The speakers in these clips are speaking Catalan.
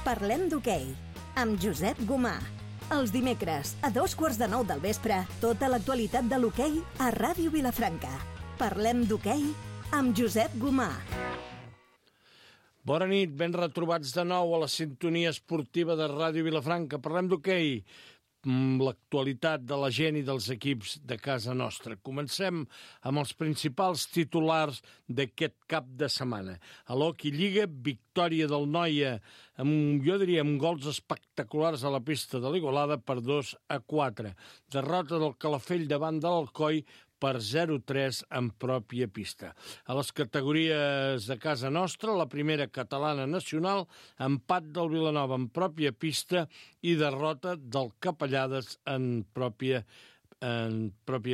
Parlem d'hoquei, amb Josep Gomà. Els dimecres, a 8:45 del vespre, tota l'actualitat de l'hoquei a Ràdio Vilafranca. Parlem d'hoquei amb Josep Gomà. Bona nit, ben retrobats de nou a la sintonia esportiva de Ràdio Vilafranca. Parlem d'hoquei, l'actualitat de la gent i dels equips de casa nostra. Comencem amb els principals titulars d'aquest cap de setmana. A l'Hockey Lliga, victòria del Noia, jo diria amb gols espectaculars a la pista de l'Igualada per 2-4. Derrota del Calafell davant de l'Alcoi per 0-3 en pròpia pista. A les categories de casa nostra, la primera catalana nacional, empat del Vilanova en pròpia pista i derrota del Capellades en pròpia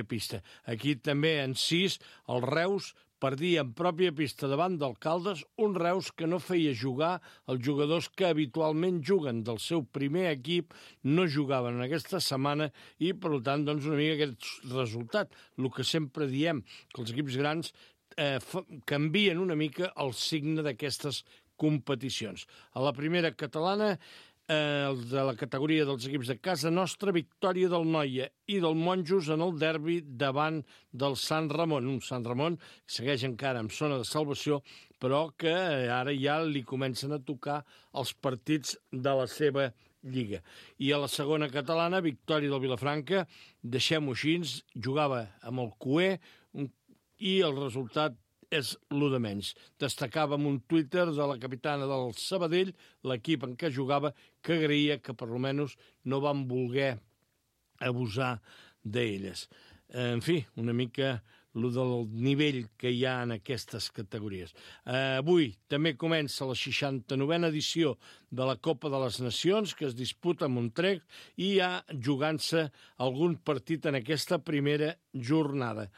pista. Aquí també en 6, el Reus perdia en pròpia pista davant del Caldes, un Reus que no feia jugar els jugadors que habitualment juguen del seu primer equip, no jugaven en aquesta setmana i, per tant, doncs, una mica aquest resultat. El que sempre diem, que els equips grans canvien una mica el signe d'aquestes competicions. A la primera catalana, de la categoria dels equips de casa nostra, victòria del Noia i del Monjos en el derbi davant del Sant Ramon. Un Sant Ramon que segueix encara en zona de salvació, però que ara ja li comencen a tocar els partits de la seva lliga. I a la segona catalana, victòria del Vilafranca, deixem-ho així, jugava amb el Cué i el resultat és lo de menys. Destacàvem un Twitter de la capitana del Sabadell, l'equip en què jugava, que agraïa que per almenys no van voler abusar d'elles. En fi, una mica lo del nivell que hi ha en aquestes categories. Avui també comença la 69a edició de la Copa de les Nacions, que es disputa a Montreal, i hi ha jugant-se algun partit en aquesta primera jornada.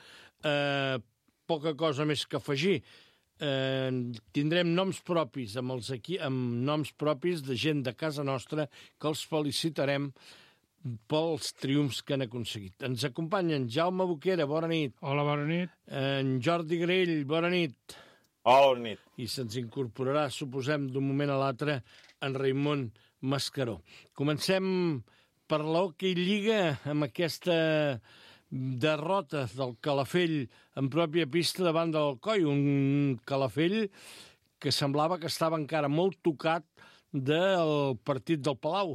Poca cosa més que afegir. Tindrem noms propis amb noms propis de gent de casa nostra que els felicitarem pels triomfs que han aconseguit. Ens acompanyen Jaume Boquera, bona nit. Hola, bona nit. En Jordi Grell, bona nit. Hola, bona nit. I se'ns incorporarà, suposem, d'un moment a l'altre, en Raimon Mascaró. Comencem per l'Hockey Lliga amb aquesta derrota del Calafell en pròpia pista davant del Alcoi, un Calafell que semblava que estava encara molt tocat del partit del Palau.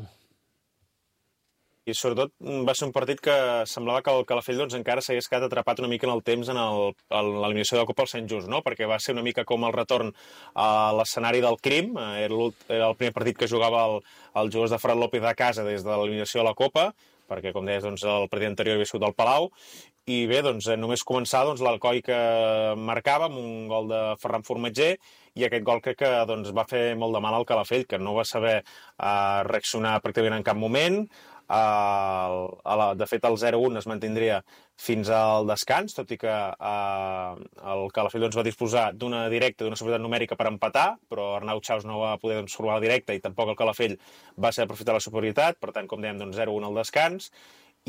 I sobretot va ser un partit que semblava que el Calafell doncs, encara s'hagués quedat atrapat una mica en el temps en l'eliminació de la Copa al Sant Just, no? Perquè va ser una mica com el retorn a l'escenari del crim. Era el primer partit que jugava els jugadors de Ferran López a casa des de l'eliminació de la Copa, perquè, com deies, doncs, el partit anterior havia sigut al Palau, i bé, doncs, només començar l'Alcoi que marcava amb un gol de Ferran Formatger, i aquest gol crec que doncs, va fer molt de mal al Calafell, que no va saber reaccionar pràcticament en cap moment. De fet, el 0-1 es mantindria fins al descans, tot i que el Calafell doncs, va disposar d'una directa, d'una superioritat numèrica per empatar, però Arnau Chaus no va poder doncs, formar la directa i tampoc el Calafell va saber aprofitar la superioritat, per tant, com dèiem, doncs, 0-1 al descans.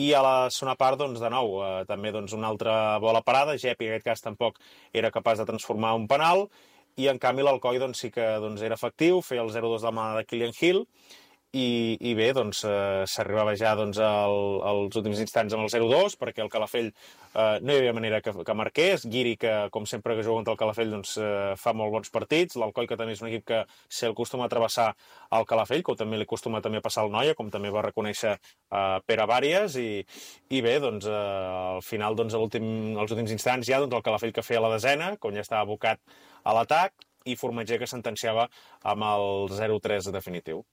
I a la segona part, doncs, de nou, també doncs, una altra bola parada, Gepi en aquest cas tampoc era capaç de transformar un penal, i en canvi l'Alcoi doncs, sí que doncs, era efectiu, feia el 0-2 de la mà de Kylian Hill, i bé, doncs, s'arribava ja doncs, als últims instants amb el 0-2, perquè el Calafell no hi havia manera que marqués. Guiri, que com sempre que juga contra el Calafell doncs, fa molt bons partits. L'Alcoi, que també és un equip que se'l acostuma a travessar al Calafell, que també li acostuma també a passar al Noia, com també va reconèixer Pere Bàries, i bé, doncs, al final, doncs, als últims instants ja, doncs, el Calafell que feia la desena, quan ja estava abocat a l'atac, i Formatger que sentenciava amb el 0-3 definitiu.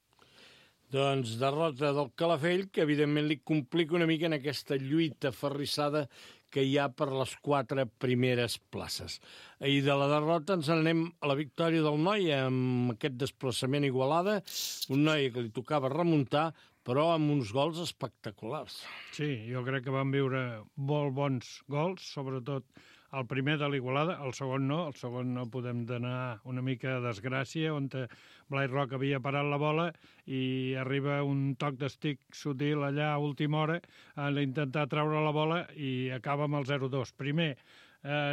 Doncs derrota del Calafell, que evidentment li complica una mica en aquesta lluita aferrissada que hi ha per les 4 primeres places. I de la derrota ens anem a la victòria del Noia, amb aquest desplaçament a Igualada, un Noia que li tocava remuntar, però amb uns gols espectaculars. Sí, jo crec que van viure molt bons gols, sobretot el primer de l'Igualada, el segon no podem donar una mica de desgràcia, on Blai Roc havia parat la bola i arriba un toc d'estic sutil allà a última hora a intentar treure la bola i acaba amb el 0-2. Primer,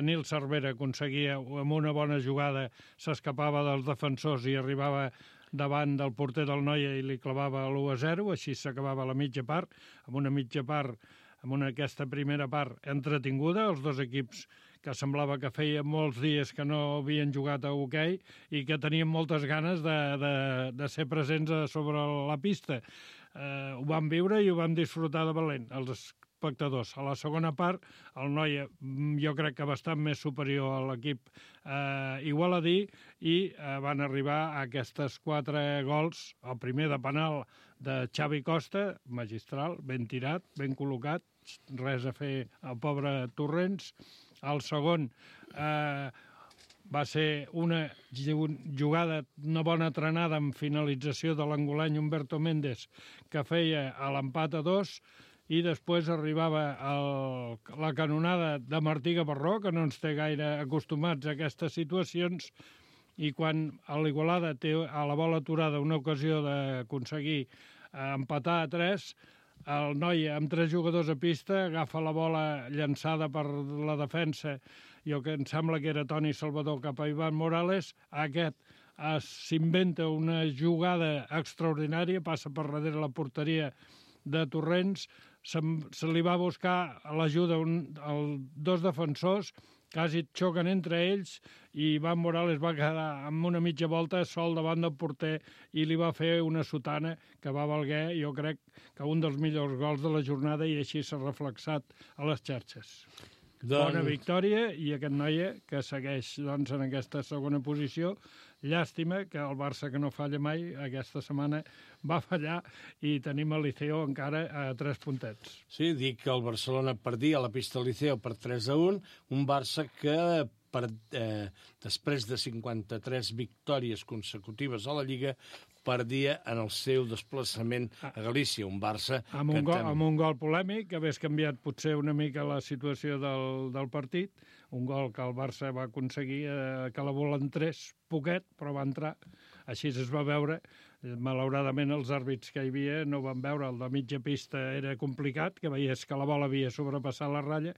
Nil Cervera aconseguia, amb una bona jugada, s'escapava dels defensors i arribava davant del porter del Noia i li clavava l'1-0, així s'acabava la mitja part, amb una mitja part, aquesta primera part entretinguda, els dos equips que semblava que feia molts dies que no havien jugat a hoquei i que tenien moltes ganes de ser presents sobre la pista. Ho vam viure i ho vam disfrutar de valent, els espectadors. A la segona part, el Noia jo crec que bastant més superior a l'equip igualadí i van arribar a aquestes 4 gols, el primer de penal de Xavi Costa, magistral, ben tirat, ben col·locat, res a fer al pobre Torrents. El segon va ser una jugada, una bona trenada amb finalització de l'angolany Humberto Méndez, que feia l'empat a 2, i després arribava la canonada de Martí Gavarró, que no ens té gaire acostumats a aquestes situacions, i quan l'Igualada té a la bola aturada una ocasió d'aconseguir empatar a 3, el Noia, amb 3 jugadors a pista, agafa la bola llançada per la defensa, jo que em sembla que era Toni Salvador cap a Ivan Morales, aquest s'inventa una jugada extraordinària, passa per darrere la porteria de Torrents, se li va buscar l'ajuda als 2 defensors, quasi xoquen entre ells, i Ivan Morales va quedar amb una mitja volta sol davant del porter i li va fer una sotana que va valer, jo crec, que un dels millors gols de la jornada, i així s'ha reflexat a les xarxes. Bona victòria, i aquest Noia que segueix en aquesta segona posició. Llàstima que el Barça, que no falla mai, aquesta setmana va fallar i tenim el Liceo encara a 3 puntets. Sí, dic que el Barcelona perdia a la pista del Liceo per 3-1, un Barça que després de 53 victòries consecutives a la Lliga perdia en el seu desplaçament a Galícia, un Barça... Amb un gol polèmic, que hagués canviat potser una mica la situació del partit, un gol que el Barça va aconseguir que la bola entrés poquet, però va entrar. Així es va veure. Malauradament els àrbits que hi havia no van veure, el de mitja pista era complicat, que veies que la bola havia sobrepassat la ratlla,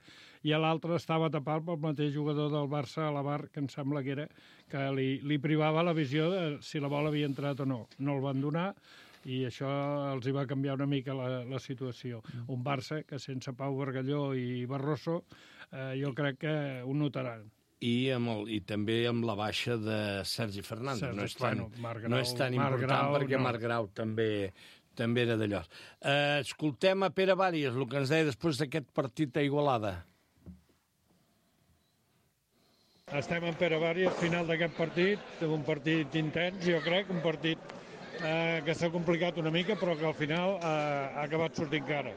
i l'altre estava tapat pel mateix jugador del Barça a la bar, que em sembla que era, que li privava la visió de si la bola havia entrat o no. No el van donar, i això els hi va canviar una mica la situació. Un Barça que sense Pau Bargalló i Barroso jo crec que ho notaran. I també amb la baixa de Sergi Fernández. No és tan important perquè Marc Grau també era d'allò. Escoltem a Pere Bàries, el que ens deia després d'aquest partit a Igualada. Estem amb Pere Bàries, final d'aquest partit, un partit intens, jo crec, un partit que s'ha complicat una mica, però que al final ha acabat sortint cara.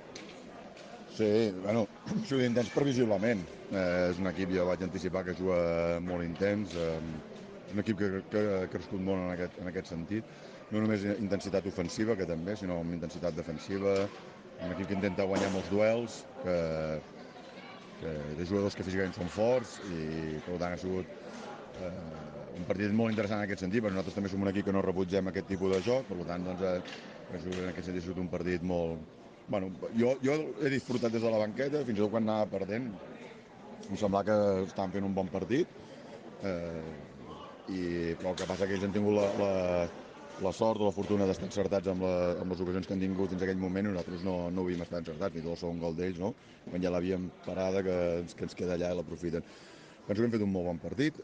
Sí, bueno, juga intens previsiblement. És un equip, ja vaig anticipar, que juga molt intens. És un equip que ha crescut molt en aquest sentit. No només intensitat ofensiva, que també, sinó amb intensitat defensiva. Un equip que intenta guanyar molts duels, que té jugadors que físicament són forts, i per tant ha sigut un partit molt interessant en aquest sentit, perquè nosaltres també som un equip que no rebutgem aquest tipus de joc, per tant, doncs, en aquest sentit ha sigut un partit molt... Bueno, jo he disfrutat des de la banqueta, fins i tot quan anava perdent, em semblava que estaven fent un bon partit, però el que passa que ells han tingut la sort o la fortuna d'estar encertats amb les ocasions que han tingut fins a aquell moment, i nosaltres no havíem estat encertats, ni tot el segon gol d'ells, no? Quan ja l'havíem parada, que ens queda allà i l'aprofiten. Penso que hem fet un molt bon partit.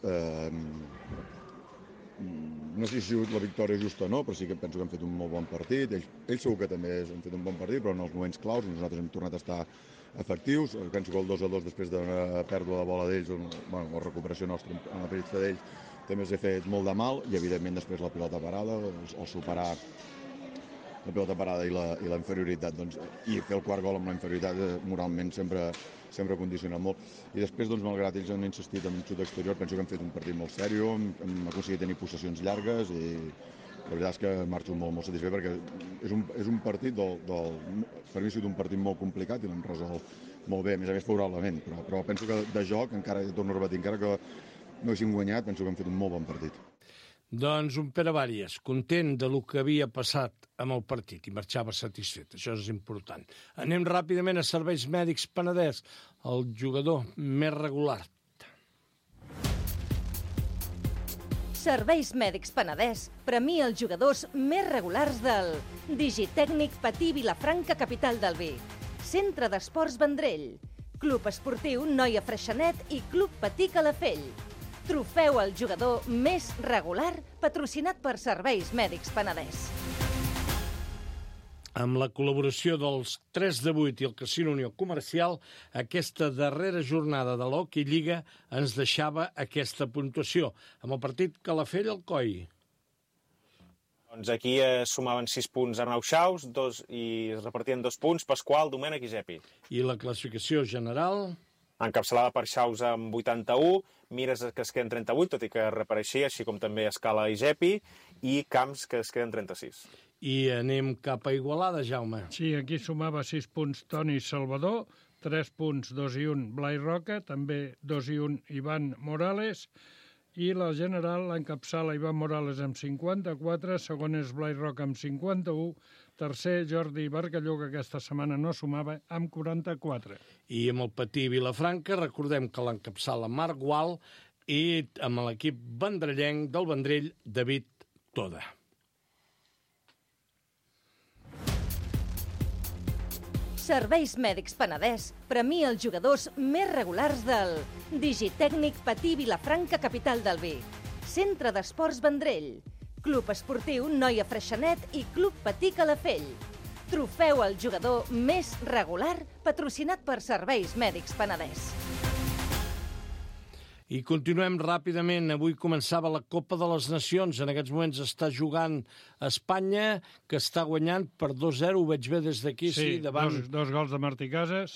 No sé si ha sigut la victòria justa o no, però sí que penso que hem fet un molt bon partit. Ells segur que també han fet un bon partit, però en els moments claus nosaltres hem tornat a estar efectius. Penso que el 2-2 després d'una pèrdua de bola d'ells, la recuperació nostra en la pista d'ells, també s'ha fet molt de mal, i evidentment després la pilota parada, el superar la pilota parada i la inferioritat, doncs, i fer el quart gol amb la inferioritat moralment sempre condiciona molt. I després, doncs, malgrat ells han insistit en un xut exterior, penso que hem fet un partit molt sèrio, hem aconseguit tenir possessions llargues, i la veritat és que marxo molt satisfet, perquè és un partit per mi ha sigut un partit molt complicat i l'hem resolt molt bé, a més favorablement, però penso que de joc, encara torno a repetir, encara que no haguéssim guanyat, penso que hem fet un molt bon partit. Doncs un Pere Bàries, content de lo que havia passat amb el partit, i marxava satisfet, això és important. Anem ràpidament a Serveis Mèdics Penedès, el jugador més regular. Serveis Mèdics Penedès premia els jugadors més regulars del Digitècnic Patí Vilafranca, capital del vi, Centre d'Esports Vendrell, Club Esportiu Noia Freixenet i Club Patí Calafell. Trofeu al jugador més regular patrocinat per Serveis Mèdics Penedès. Amb la col·laboració dels 3 de 8 i el Casino Unió Comercial, aquesta darrera jornada de l'Hockey Lliga ens deixava aquesta puntuació, amb el partit Calafell-Alcoi. Doncs aquí sumaven 6 punts Arnau Xaus i es repartien 2 punts Pasqual, Domènech i Gepi. I la classificació general? Encapçalada per Xaus amb 81, Mires que es queden 38, tot i que reapareixia, així com també Escala i Gepi, i Camps que es queden 36. I anem cap a Igualada, Jaume. Sí, aquí sumava 6 punts Toni Salvador, 3 punts 2 i 1 Blai Roca, també 2 i 1 Ivan Morales, i la general l'encapçala Ivan Morales amb 54, segon és Blai Roca amb 51, tercer Jordi Bargalló, que aquesta setmana no sumava, amb 44. I amb el Patí Vilafranca, recordem que l'encapçala Marc Gual i amb l'equip vendrellenc del Vendrell, David Toda. Serveis Mèdics Penedès premia els jugadors més regulars del Digitècnic Patí Vilafranca, capital del vi, Centre d'Esports Vendrell, Club Esportiu Noia Freixenet i Club Patí Calafell. Trofeu al jugador més regular patrocinat per Serveis Mèdics Penedès. I continuem ràpidament. Avui començava la Copa de les Nacions. En aquests moments està jugant Espanya, que està guanyant per 2-0. Ho veig bé des d'aquí, sí, davant... Dos gols de Martí Casas,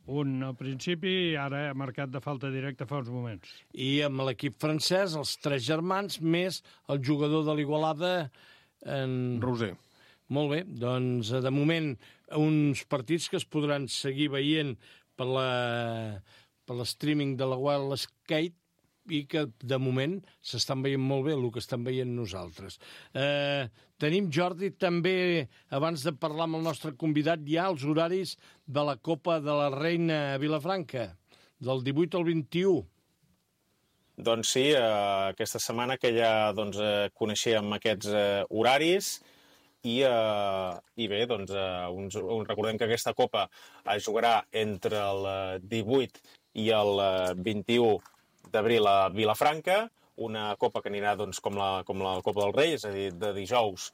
un al principi i ara ha marcat de falta directa fa uns moments. I amb l'equip francès, els 3 germans, més el jugador de l'Igualada... Roser. Molt bé, doncs de moment uns partits que es podran seguir veient per l'streaming de la Wild Skate i que de moment s'estan veient molt bé el que estan veient nosaltres. Tenim, Jordi, també, abans de parlar amb el nostre convidat, ja els horaris de la Copa de la Reina a Vilafranca, del 18 al 21. Doncs sí, aquesta setmana que ja coneixíem aquests horaris i bé, doncs recordem que aquesta Copa es jugarà entre el 18 i el 21 d'abril a Vilafranca, una Copa que anirà com la Copa del Rei, és a dir, de dijous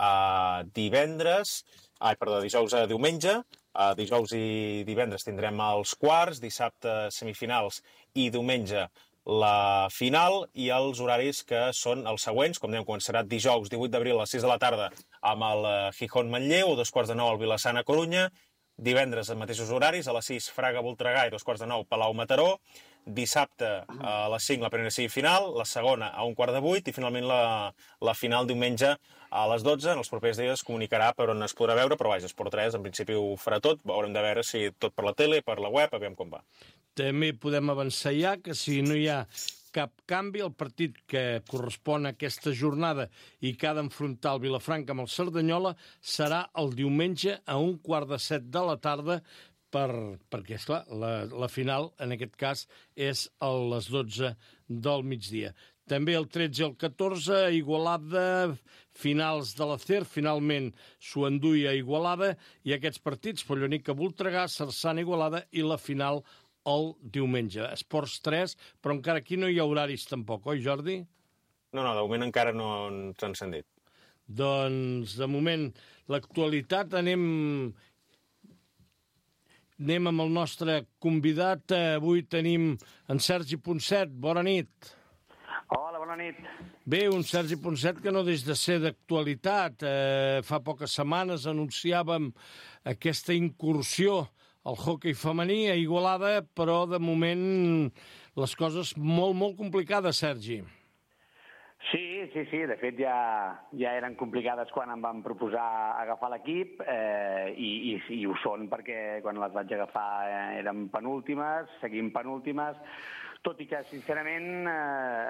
a dijous a diumenge. Dijous i divendres tindrem els quarts, dissabte semifinals i diumenge la final, i els horaris que són els següents. Com dèiem, començarà dijous 18 d'abril a les 6 de la tarda amb el Gijón Manlleu, a 2:45 el Vila-sana Corunya, divendres els mateixos horaris, a les 6 Fraga Voltregà i 2:45 Palau Mataró, dissabte a les 5 la primera semifinal, la segona a 7:15 i finalment la final diumenge a les 12. En els propers dies es comunicarà per on es podrà veure, però vaja, Esport 3 en principi ho farà tot, haurem de veure si tot per la tele, per la web, aviam com va. També podem avançar ja que si no hi ha cap canvi, el partit que correspon a aquesta jornada i que ha d'enfrontar el Vilafranca amb el Cerdanyola serà el diumenge a 7:15 de la tarda, perquè, esclar, la final, en aquest cas, és a les 12 del migdia. També el 13 i el 14, Igualada, finals de la CER, finalment s'ho enduia a Igualada, i aquests partits, Follonica Voltregà, Cerçana Igualada i la final el diumenge. Esports 3, però encara aquí no hi ha horaris tampoc, oi, Jordi? No, de moment encara no ens han dit. Doncs, de moment, l'actualitat, anem amb el nostre convidat. Avui tenim en Sergi Ponset. Bona nit. Hola, bona nit. Bé, un Sergi Ponset que no deixa de ser d'actualitat. Fa poques setmanes anunciàvem aquesta incursió al hoquei femení a Igualada, però de moment les coses molt complicades, Sergi. Sí, de fet ja eren complicades quan em van proposar agafar l'equip i ho són perquè quan les vaig agafar eren penúltimes, seguim penúltimes, tot i que sincerament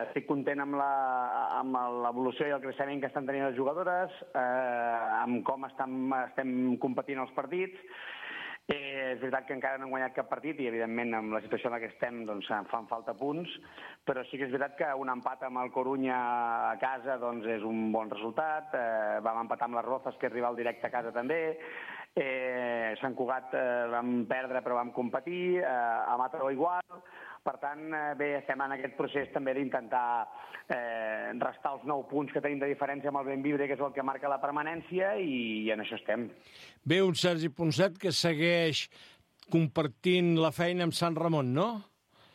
estic content amb l'evolució i el creixement que estan tenint les jugadores, amb com estem competint els partits, És veritat que encara no hem guanyat cap partit i, evidentment, amb la situació en la que estem, doncs, fan falta punts, però sí que és veritat que un empat amb el Corunya a casa doncs, és un bon resultat. Vam empatar amb les Rozas, que és rival directe a casa també. Sant Cugat vam perdre però vam competir, a Mataró igual. Per tant, bé, estem en aquest procés també d'intentar restar els 9 punts que tenim de diferència amb el Bellvitge, que és el que marca la permanència, i en això estem. Bé, un Sergi Ponset que segueix compartint la feina amb Sant Ramon, no?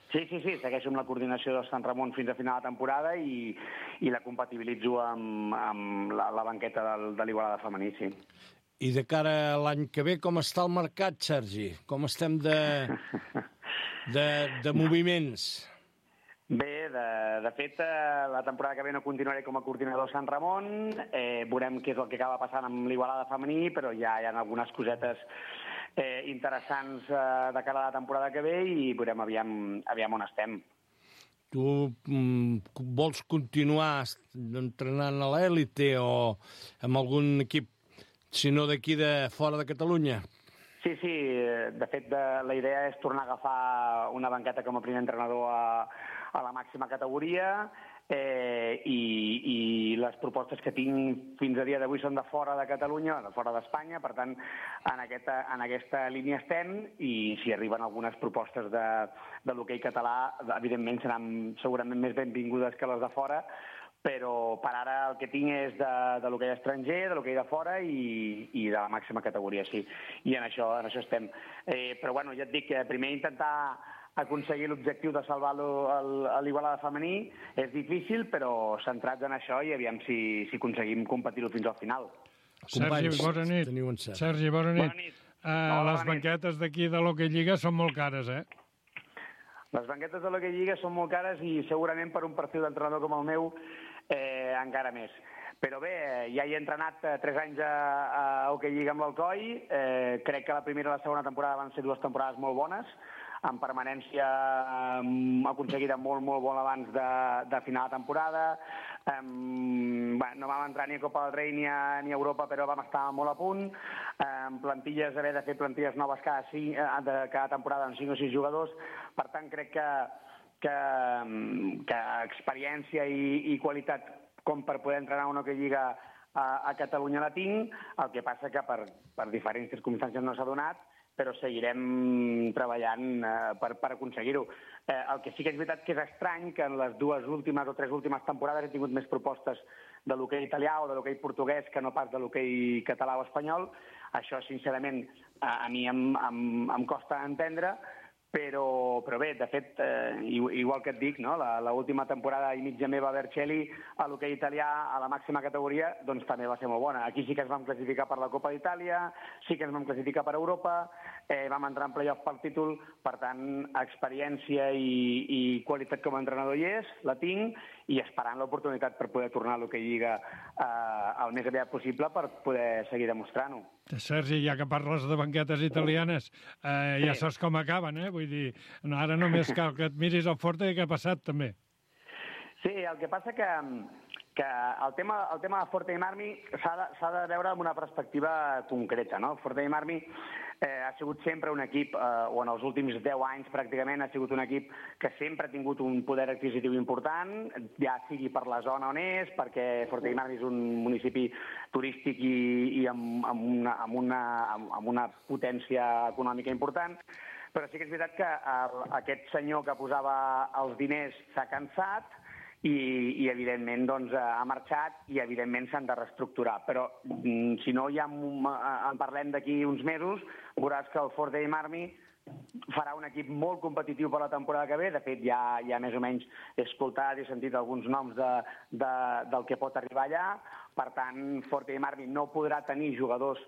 Sí, segueixo amb la coordinació de Sant Ramon fins a final de temporada i la compatibilitzo amb la banqueta de l'Igualada femení, sí. I de cara a l'any que ve, com està el mercat, Sergi? Com estem de moviments? Bé, de fet, la temporada que ve no continuaré com a coordinador a Sant Ramon. Veurem què és el que acaba passant amb l'Igualada femení, però ja hi ha algunes cosetes interessants de cara a la temporada que ve i veurem aviam on estem. Tu vols continuar entrenant a l'èlite o amb algun equip, si no d'aquí de fora de Catalunya? Sí, de fet la idea és tornar a agafar una banqueta com a primer entrenador a la màxima categoria i les propostes que tinc fins a dia d'avui són de fora de Catalunya, de fora d'Espanya, per tant en aquesta línia estem i si arriben algunes propostes de l'hoquei català, evidentment seran segurament més benvingudes que les de fora, però per ara el que tinc és de l'hoquei estranger, de l'hoquei de fora i de la màxima categoria, sí. I en això estem. Però bueno, ja et dic que primer intentar aconseguir l'objectiu de salvar l'Igualada femení és difícil, però centrats en això i aviam si aconseguim competir-ho fins al final. Sergi, bona nit. Sergi, bona nit. Les banquetes d'aquí de l'Hockey Lliga són molt cares, eh? Les banquetes de l'Hockey Lliga són molt cares i segurament per un perfil d'entrenador com el meu encara més. Però bé, ja hi he entrenat 3 anys a Hockey Lliga amb l'Alcoi. Crec que la primera i la segona temporada van ser 2 temporades molt bones, amb permanència aconseguida molt bon abans de final de temporada. No vam entrar ni a Copa del Rei ni a Europa, però vam estar molt a punt. Plantilles, haver de fer plantilles noves cada temporada amb 5 o 6 jugadors. Per tant, crec que experiència i qualitat com per poder entrenar una Hockey Lliga a Catalunya la tinc. El que passa que per diferents circumstàncies no s'ha donat, però seguirem treballant per aconseguir-ho. El que sí que és veritat que és estrany que en les 2 últimes o 3 últimes temporades he tingut més propostes de l'hoquei italià o de l'hoquei portuguès que no pas de l'hoquei català o espanyol. Això, sincerament, a mi em costa entendre, però bé, de fet, igual que et dic, no? L'última temporada i mitja meva a Vercelli, a l'hoquei italià, a la màxima categoria, doncs també va ser molt bona. Aquí sí que ens vam classificar per la Copa d'Itàlia, sí que ens vam classificar per Europa, vam entrar en playoff pel títol, per tant, experiència i qualitat com a entrenador hi és, la tinc, i esperant l'oportunitat per poder tornar a l'hoquei Lliga el més aviat possible per poder seguir demostrant-ho. Sergi, ja que parles de banquetes italianes, ja saps com acaben, eh? Vull dir, ara només cal que et miris el Forte i què ha passat, també. Sí, el que passa que el tema de Forte i Marmi s'ha de veure amb una perspectiva concreta, no? Forte i Marmi ha sigut sempre un equip, o en els últims 10 anys pràcticament ha sigut un equip que sempre ha tingut un poder adquisitiu important, ja sigui per la zona on és, perquè Forte i Marmi és un municipi turístic i amb una potència econòmica important, però sí que és veritat que aquest senyor que posava els diners s'ha cansat i evidentment doncs, ha marxat i evidentment s'han de reestructurar. Però si no ja en parlem d'aquí uns mesos, veuràs que el Forte i Marmi farà un equip molt competitiu per la temporada que ve. De fet, ja més o menys he escoltat i he sentit alguns noms del que pot arribar allà. Per tant, Forte i Marmi no podrà tenir jugadors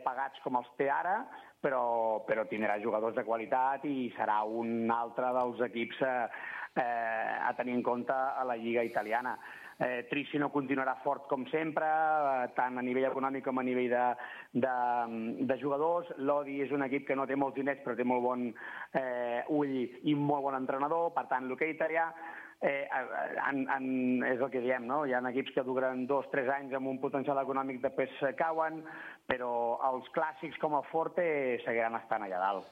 pagats com els té ara, però tindrà jugadors de qualitat i serà un altre dels equips a tenir en compte a la Lliga italiana. Tricino continuarà fort com sempre, tant a nivell econòmic com a nivell de jugadors. Lodi és un equip que no té molts diners però té molt bon ull i molt bon entrenador. Per tant, l'hoquei italià és el que diem, no? Hi ha equips que duren 2-3 anys amb un potencial econòmic, després cauen, però els clàssics com el Forte seguiran estant allà dalt.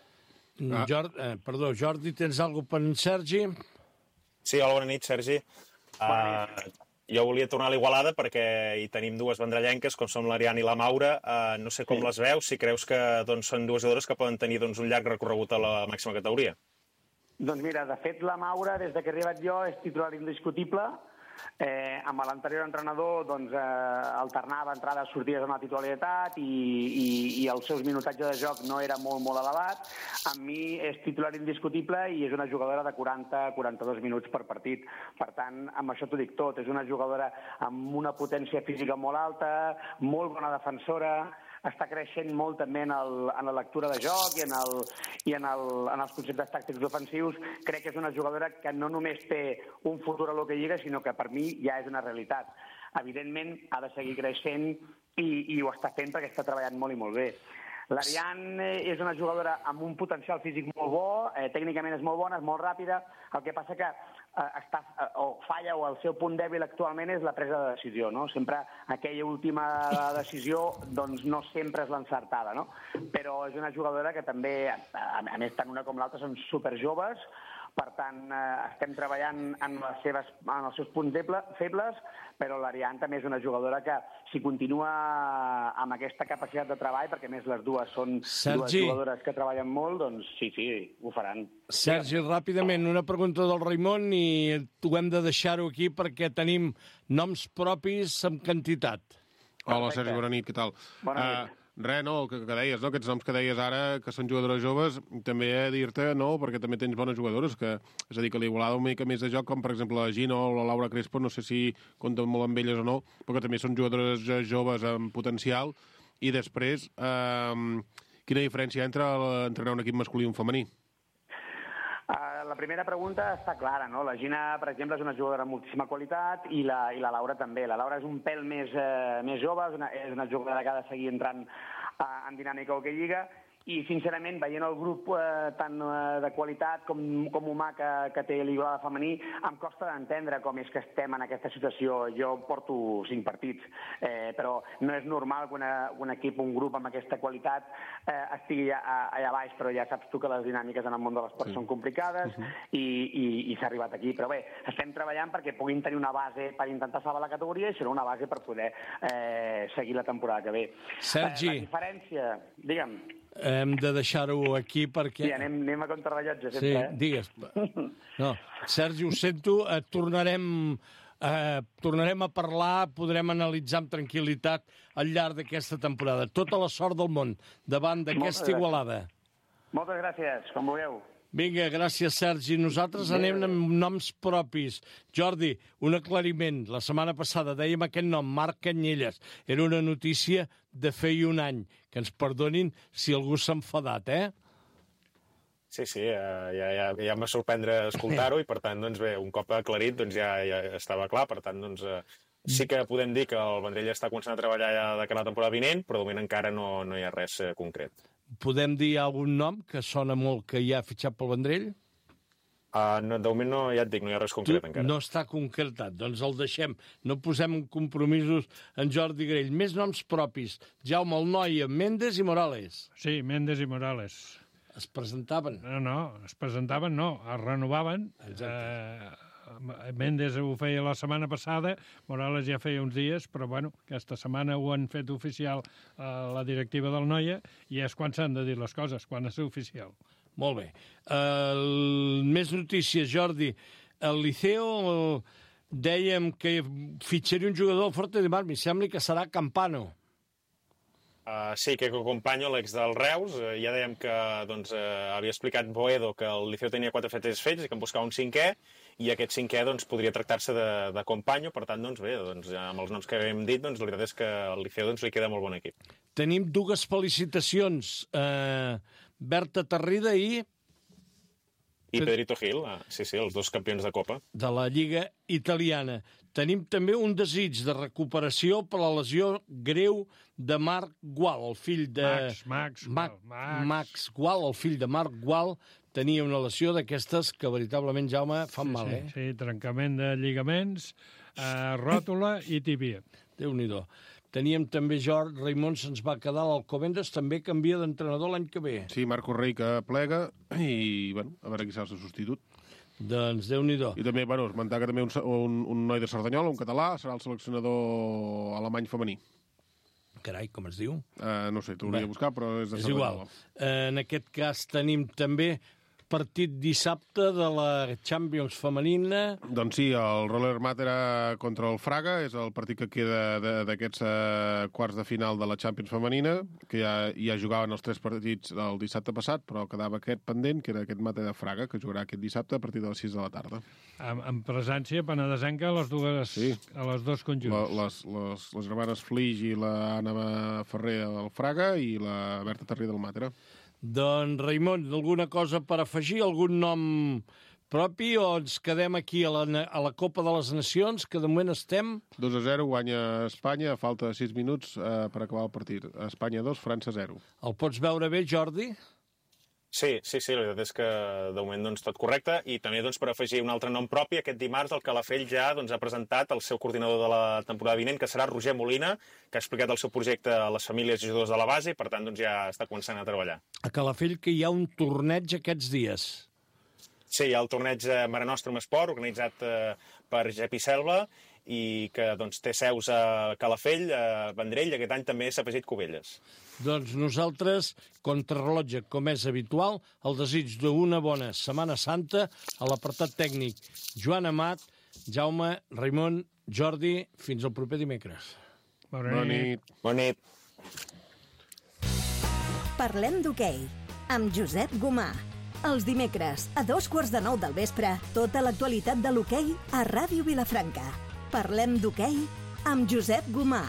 Jordi, tens alguna per en Sergi? Sí, hola, bona nit, Sergi. Jo volia tornar a l'Igualada perquè hi tenim dues vendrellenques, com són l'Ariana i la Maura. No sé com les veus, si creus que són dues jugadores que poden tenir un llarg recorregut a la màxima categoria. Doncs mira, de fet, la Maura, des que he arribat jo, és titular indiscutible. Amb l'anterior entrenador alternava entrades, sortides amb la titularitat i el seu minutatge de joc no era molt elevat. Amb mi és titular indiscutible i és una jugadora de 40-42 minuts per partit. Per tant, amb això t'ho dic tot. És una jugadora amb una potència física molt alta, molt bona defensora, està creixent molt també en la lectura de joc i en els conceptes tàctics ofensius. Crec que és una jugadora que no només té un futur a l'Hockey Lliga, sinó que per mi ja és una realitat. Evidentment, ha de seguir creixent i ho està fent perquè està treballant molt i molt bé. L'Ariane és una jugadora amb un potencial físic molt bo, tècnicament és molt bona, és molt ràpida, el que passa que falla o el seu punt dèbil actualment és la presa de decisió, no? Sempre aquella última decisió doncs no sempre és l'encertada, no? Però és una jugadora que també, a més tant una com l'altra, són superjoves. Per tant, estem treballant en els seus punts febles, però l'Ariane també és una jugadora que, si continua amb aquesta capacitat de treball, perquè a més les dues són dues jugadores que treballen molt, doncs sí, ho faran. Sergi, ràpidament, una pregunta del Raimon i ho hem de deixar-ho aquí perquè tenim noms propis amb quantitat. Hola, Sergi, bona nit, què tal? Bona nit. Res, no, que deies, no? Aquests noms que deies ara, que són jugadores joves, també he de dir-te, no?, perquè també tens bones jugadores, és a dir, que l'Igualada un mica més de joc, com per exemple la Gino o la Laura Crespo, no sé si compten molt amb elles o no, però que també són jugadores joves amb potencial. I després, quina diferència hi ha entre entrenar un equip masculí i un femení? La primera pregunta està clara, no? La Gina, per exemple, és una jugadora amb moltíssima qualitat i la Laura també. La Laura és un pèl més jove, és una jugadora que ha de seguir entrant en dinàmica Hockey Lliga i, sincerament, veient el grup tant de qualitat com humà que té l'Igualada femení, em costa d'entendre com és que estem en aquesta situació. Jo porto 5 partits, però no és normal que un equip, un grup amb aquesta qualitat estigui allà baix, però ja saps tu que les dinàmiques en el món de l'esport són complicades i s'ha arribat aquí. Però bé, estem treballant perquè puguin tenir una base per intentar salvar la categoria i serà una base per poder seguir la temporada que ve. Sergi. La diferència, digue'm. Hem de deixar-ho aquí perquè... Sí, anem a contrarrellotge sempre, Sí, digues. No, Sergi, ho sento, tornarem a parlar, podrem analitzar amb tranquil·litat al llarg d'aquesta temporada. Tota la sort del món davant d'aquesta Igualada. Moltes gràcies, com vulgueu. Vinga, gràcies, Sergi. Nosaltres anem amb noms propis. Jordi, un aclariment. La setmana passada dèiem aquest nom, Marc Canyelles. Era una notícia de feia un any. Que ens perdonin si algú s'ha enfadat, Sí, ja em va sorprendre escoltar-ho i, per tant, doncs bé, un cop aclarit, doncs ja estava clar. Per tant, doncs sí que podem dir que el Vendrell està començant a treballar ja de cara a la temporada vinent, però de moment encara no hi ha res concret. Podem dir algun nom que sona molt que ja ha fitxat pel Vendrell? No, de moment ja et dic, no hi ha res concret encara. No està concretat, doncs el deixem. No posem compromisos en Jordi Grell. Més noms propis. Jaume Alnoia, Méndez i Morales. Sí, Méndez i Morales. Es presentaven? Es renovaven. Méndez ho feia la setmana passada, Morales ja feia uns dies, però bueno, aquesta setmana ho han fet oficial la directiva del Noia i és quan s'han de dir les coses, quan és oficial. Molt bé. Més notícies, Jordi. El Liceo dèiem que fitxaria un jugador al Forte de Mar, mi sembla que serà Campano. Sí, que Companyo, l'ex del Reus, ja dèiem que havia explicat Boedo que el Liceo tenia 4 fets fets i que en buscava un 5è, i aquest 5è podria tractar-se de Companyo. Per tant, bé, amb els noms que hem dit, la veritat és que al Liceo li queda molt bon equip. Tenim 2 felicitacions, Berta Tarrida i Pedrito Gil, sí, els 2 campions de Copa. De la Lliga Italiana. Tenim també un desig de recuperació per la lesió greu de Marc Gual, el fill de... Max Gual, el fill de Marc Gual, tenia una lesió d'aquestes que veritablement, Jaume, fan mal, eh? Sí, trencament de lligaments, ròtula i tíbia. Déu-n'hi-do. Teníem també Raimon se'ns va quedar a l'Alcobendas, també canvia d'entrenador l'any que ve. Sí, Marco Rey que plega i, bueno, a veure qui serà el seu substitut. Doncs Déu-n'hi-do. I també, bueno, esmentar que també un noi de Cerdanyola, un català, serà el seleccionador alemany femení. Carai, com es diu? No sé, t'hauria de buscar, però és de Cerdanyola. És igual. En aquest cas tenim també partit dissabte de la Champions femenina. Doncs sí, el Roller Matera contra el Fraga és el partit que queda d'aquests quarts de final de la Champions femenina, que ja jugaven els 3 partits el dissabte passat, però quedava aquest pendent, que era aquest Matera Fraga, que jugarà aquest dissabte a partir de les 6 de la tarda. En presència penedesenca a les dos conjunts. Les germanes Flix i l'Anna Ferrer del Fraga i la Berta Tarrí del Matera. Doncs, Raimon, alguna cosa per afegir? Algun nom propi o ens quedem aquí a la Copa de les Nacions, que de moment estem... 2-0, guanya Espanya, a falta de 6 minuts per acabar el partit. Espanya 2, França 0. El pots veure bé, Jordi? Sí, la veritat és que de moment doncs, tot correcte, i també doncs, per afegir un altre nom propi, aquest dimarts el Calafell ja doncs, ha presentat el seu coordinador de la temporada vinent, que serà Roger Molina, que ha explicat el seu projecte a les famílies i jugadors de la base, i per tant doncs, ja està començant a treballar. A Calafell que hi ha un torneig aquests dies. Sí, hi ha el torneig Mare Nostrum Esport, organitzat per Jepi Selva, i que doncs, té seus a Calafell, a Vendrell, i aquest any també s'ha afegit Cubelles. Doncs nosaltres, contrarrellotge, com és habitual, el desig d'una bona Setmana Santa a l'apartat tècnic Joan Amat, Jaume, Raimon, Jordi, fins al proper dimecres. Bona nit. Bona nit. Parlem d'hoquei, amb Josep Gomà. Els dimecres, a 9:15 del vespre, tota l'actualitat de l'hoquei a Ràdio Vilafranca. Parlem d'hoquei amb Josep Gomà.